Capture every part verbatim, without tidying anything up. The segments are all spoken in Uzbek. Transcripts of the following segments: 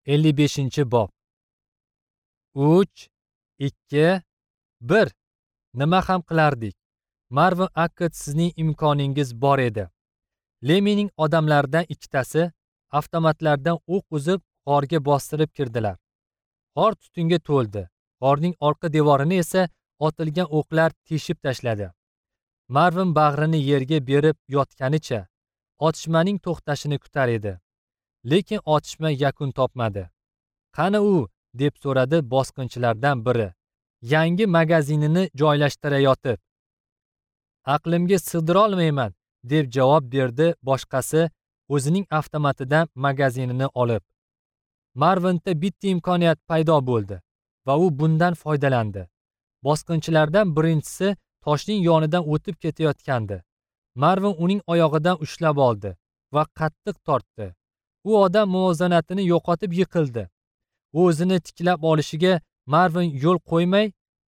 ellik beshinchi bob. uch, ikki, bir. Nima ham qilardik? Marvin Akkad, sizning imkoningiz bor edi. Lemining odamlaridan ikkitasi avtomatlardan o'q uzib g'orga bostirib kirdilar. G'or tutunga to'ldi. G'orning orqa devorini esa otilgan o'qlar teshib tashladi. Marvin bag'rini yerga berib yotganicha otishmaning to'xtashini kutar edi. Lekin otishma yakun topmadi. "Qani u?" deb so'radi bosqinchilardan biri, yangi magazinini joylashtirayotib. "Aqlimga sig'dira olmayman", deb javob berdi boshqasi, o'zining avtomatidan magazinini olib. Marvinda bitta imkoniyat paydo bo'ldi va u bundan foydalandi. Bosqinchilardan birinchisi toshning yonidan o'tib ketayotgandi. Marvin uning oyog'idan ushlab oldi va qattiq tortdi. U odam muvozanatini yo'qotib yiqildi. U o'zini tiklab olishiga Marvin yo'l qo'ymay,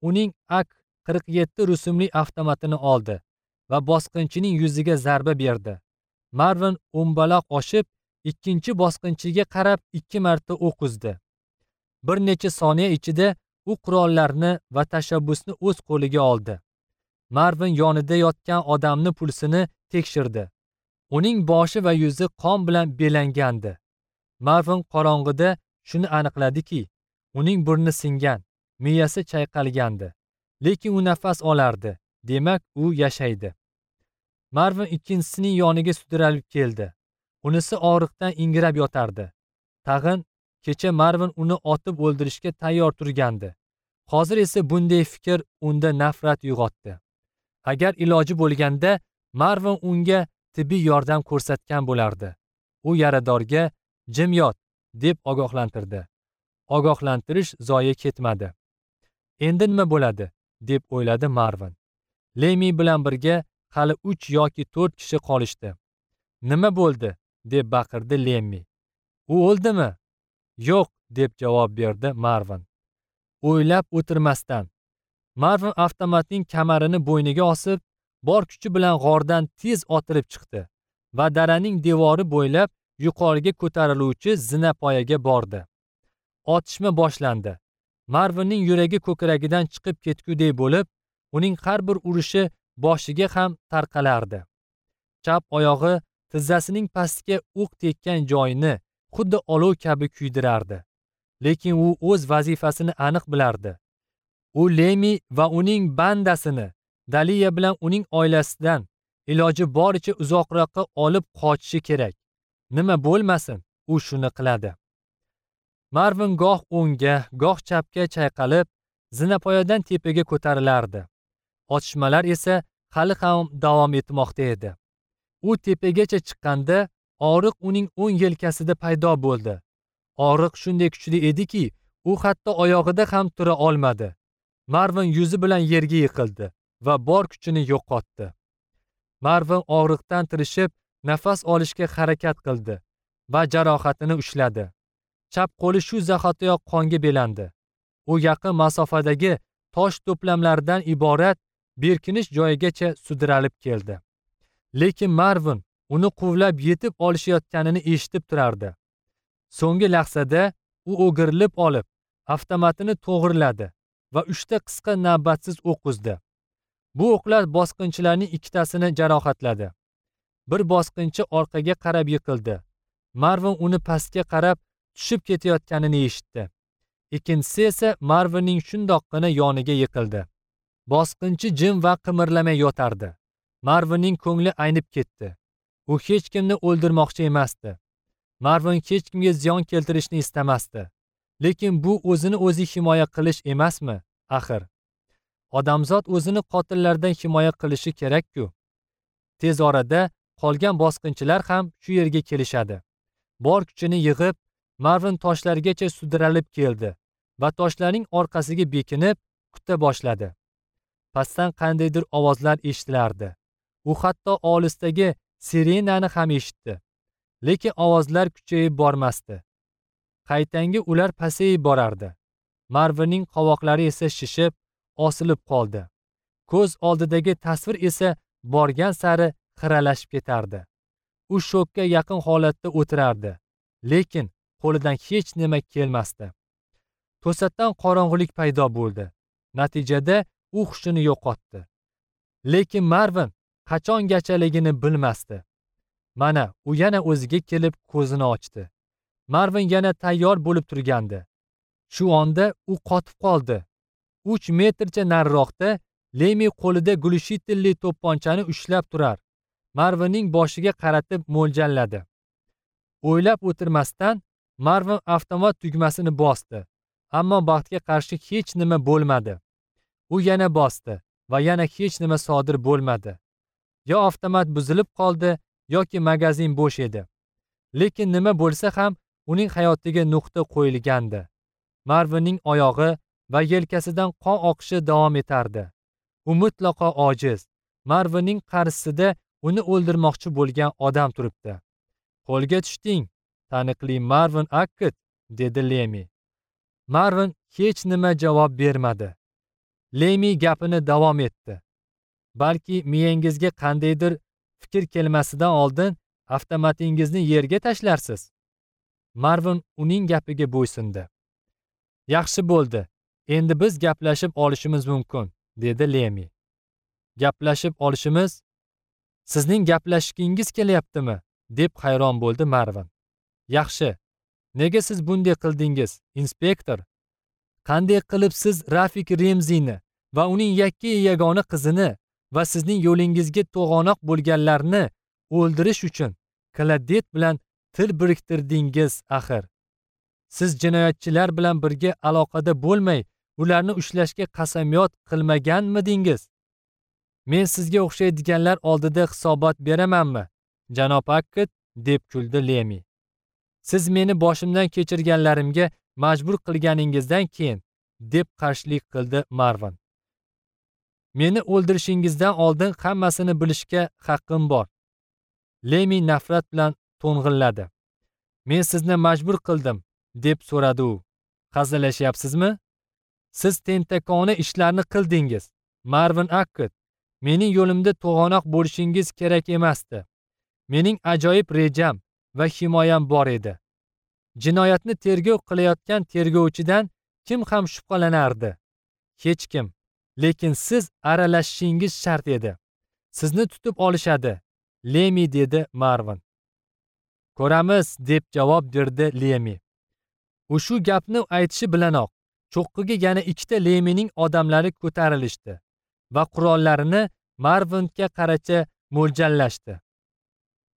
uning A K qirq yetti rusumli avtomatini oldi va bosqinchining yuziga zarba berdi. Marvin o'mbaloq oshib, ikkinchi bosqinchiga qarab ikki marta o'q uzdi. Bir necha soniya ichida u qurollarni va tashabbusni o'z qo'liga oldi. Marvin yonida yotgan odamni pulsini tekshirdi. Uning boshi va yuzi qon bilan belangandi. Marvin qorong'ida shuni aniqladiki, uning burni singan, miyasi chayqalgandi. Lekin u nafas olardi. Demak, u yashaydi. Marvin ikkinchisining yoniga sudralib keldi. Unisi og'riqdan ingrab yotardi. Tag'in kecha Marvin uni otib o'ldirishga tayyor turgandi. Hozir esa bunday fikr unda nafrat uyg'otdi. Agar iloji bo'lganda Marvin unga tibbiy yordam ko'rsatgan bo'lardi. U yaradorga "Jim yot" deb ogohlantirdi. Ogohlantirish zoye ketmadi. Endi nima bo'ladi, deb o'yladi Marvin. Lemi bilan birga hali uch yoki to'rt kishi qolishdi. "Nima bo'ldi?" deb baqirdi Lemmi. "U o'ldimi?" "Yo'q", deb javob berdi Marvin. O'ylab o'tirmasdan Marvin avtomatning kamarini bo'yniga osib, bor kuchi bilan g'ordan tez otilib chiqdi va daraning devori bo'ylab yuqoriga ko'tariluvchi zinapoyaga bordi. Otishma boshlandi. Marvinning yuragi ko'kragidan chiqib ketgudek bo'lib, uning har bir urishi boshiga ham tarqalardi. Chap oyog'i tizzasining pastiga o'q tekkan joyini xuddi olov kabi kuydirardi. Lekin u o'z vazifasini aniq bilardi. U Lemi va uning bandasini Daliya bilan uning oilasidan iloji boricha uzoqroqqa olib qochishi kerak. Nima bo'lmasin, u shuni qiladi. Marvin goh o'ngga, goh chapga chayqalib, zinapoyadan tepaga ko'tarilardi. Otishmalar esa hali ham davom etmoqda edi. U tepagacha chiqqanda og'riq uning o'ng yelkasida paydo bo'ldi. Og'riq shunday kuchli ediki, u hatto oyog'ida ham tura olmadi. Marvin yuzi bilan yerga yiqildi va bor kuchini yo'qotdi. Marvin og'riqdan tirishib, nafas olishga harakat qildi va jarohatini ushladi. Chap qo'li shu zahotiyoq qonga belandi. U yaqin masofadagi tosh to'plamlaridan iborat berkinish joyigacha sudralib keldi. Lekin Marvin uni quvlab yetib olishayotganini eshitib turardi. So'nggi lahzada u o'girilib olib, avtomatini to'g'riladi va uchta qisqa navbatsiz o'q uzdi. Bu o'qlar bosqinchilarning ikkitasini jarohatladi. Bir bosqinchi orqaga qarab yiqildi. Marvin uni pastga qarab tushib ketayotganini eshitdi. Ikkinchisi esa Marvinning shundoqqina yoniga yiqildi. Bosqinchi jim va qimirlamay yotardi. Marvinning ko'ngli aynib ketdi. U hech kimni o'ldirmoqchi emasdi. Marvin hech kimga ziyon keltirishni istamasdi. Lekin bu o'zini o'zi himoya qilish emasmi, axir? Odamzod o'zini qotillardan himoya qilishi kerak-ku. Tez orada qolgan bosqinchilar ham shu yerga kelishadi. Bor kuchini yig'ib, Marvin toshlargacha sudralib keldi va toshlarning orqasiga bekinib kuta boshladi. Pastdan qandaydir ovozlar eshitilardi. U hatto olisdagi sirenani ham eshitdi. Lekin ovozlar kuchayib bormasdi. Qaytangi ular pasayib borardi. Marvinning qovoqlari esa shishib, osilib qoldi. Ko'z oldidagi tasvir esa borgan sari xiralashib ketardi. U shokka yaqin holatda o'tirardi, lekin Qo'lidan hech nima kelmasdi. To'satdan qorong'ulik paydo bo'ldi. Natijada u hushini yo'qotdi. Lekin Marvin qachongachaligini bilmasdi. Mana u yana o'ziga kelib ko'zini ochdi. Marvin yana tayyor bo'lib turgandi. Shu onda u qotib qoldi. uch metrcha nariroqda Lemi qo'lida gulishitelli to'pponchani ushlab turar. Marvinning boshiga qaratib mo'ljalladi. O'ylab o'tirmasdan Marvin avtomat tugmasini bosdi. Ammo baxtga qarshi hech nima bo'lmadi. U yana bosdi va yana hech nima sodir bo'lmadi. Yo avtomat buzilib qoldi yoki magazin bo'sh edi. Lekin nima bo'lsa ham uning hayotiga nuqta qo'yilgandi. Marvinning oyog'i va yelkasidan qon oqishi davom etardi. U mutlaqo ojiz. Marvinning qarshisida uni o'ldirmoqchi bo'lgan odam turibdi. "Qo'lga tushding, taniqli Marvin Akkit", dedi Lemi. Marvin hech nima javob bermadi. Lemi gapini davom etdi. "Balki miyangizga qandaydir fikr kelmasidan oldin avtomatingizni yerga tashlarsiz." Marvin uning gapiga bo'ysundi. "Yaxshi bo'ldi. Endi biz gaplashib olishimiz mumkin", dedi Lemi. "Gaplashib olishimiz? Sizning gaplashgingiz kelyaptimi?" deb hayron bo'ldi Marvin. "Yaxshi. Nega siz bunday qildingiz, inspektor? Qanday qilib siz Rafik Remzini va uning yakka yagona qizini va sizning yo'lingizga to'g'onoq bo'lganlarni o'ldirish uchun Kladet bilan til biriktirdingiz axir? Siz jinoyatchilar bilan birga aloqada bo'lmay, ularni ushlashga qasamyod qilmaganmidingiz? Men sizga o'xshaydiganlar oldida hisobot beramanmi, janob Akkit?" deb kuldi Lemi. "Siz meni boshimdan kechirganlarimga majbur qilganingizdan keyin", deb qarshilik qildi Marvin. "Meni o'ldirishingizdan oldin hammasini bilishga haqqim bor." Lemi nafrat bilan to'ng'illadi. "Men sizni majbur qildim", deb so'radi u. "Hazillashyapsizmi? Siz tentakona ishlarni qildingiz, Marvin Akkit. Mening yo'limda to'g'anoq bo'lishingiz kerak emasdi. Mening ajoyib rejam va himoyam bor edi. Jinoyatni tergov qilayotgan tergovchidan kim ham shubhalanardi? Hech kim. Lekin siz aralashishingiz shart edi. Sizni tutib olishadi, Lemi", dedi Marvin. "Ko'ramiz", deb javob berdi Lemi. U shu gapni aytishi bilanoq cho'qqiga yana ikkita Lemining odamlari ko'tarilishdi va qurollarini Marvinga qaracha mo'ljallashdi.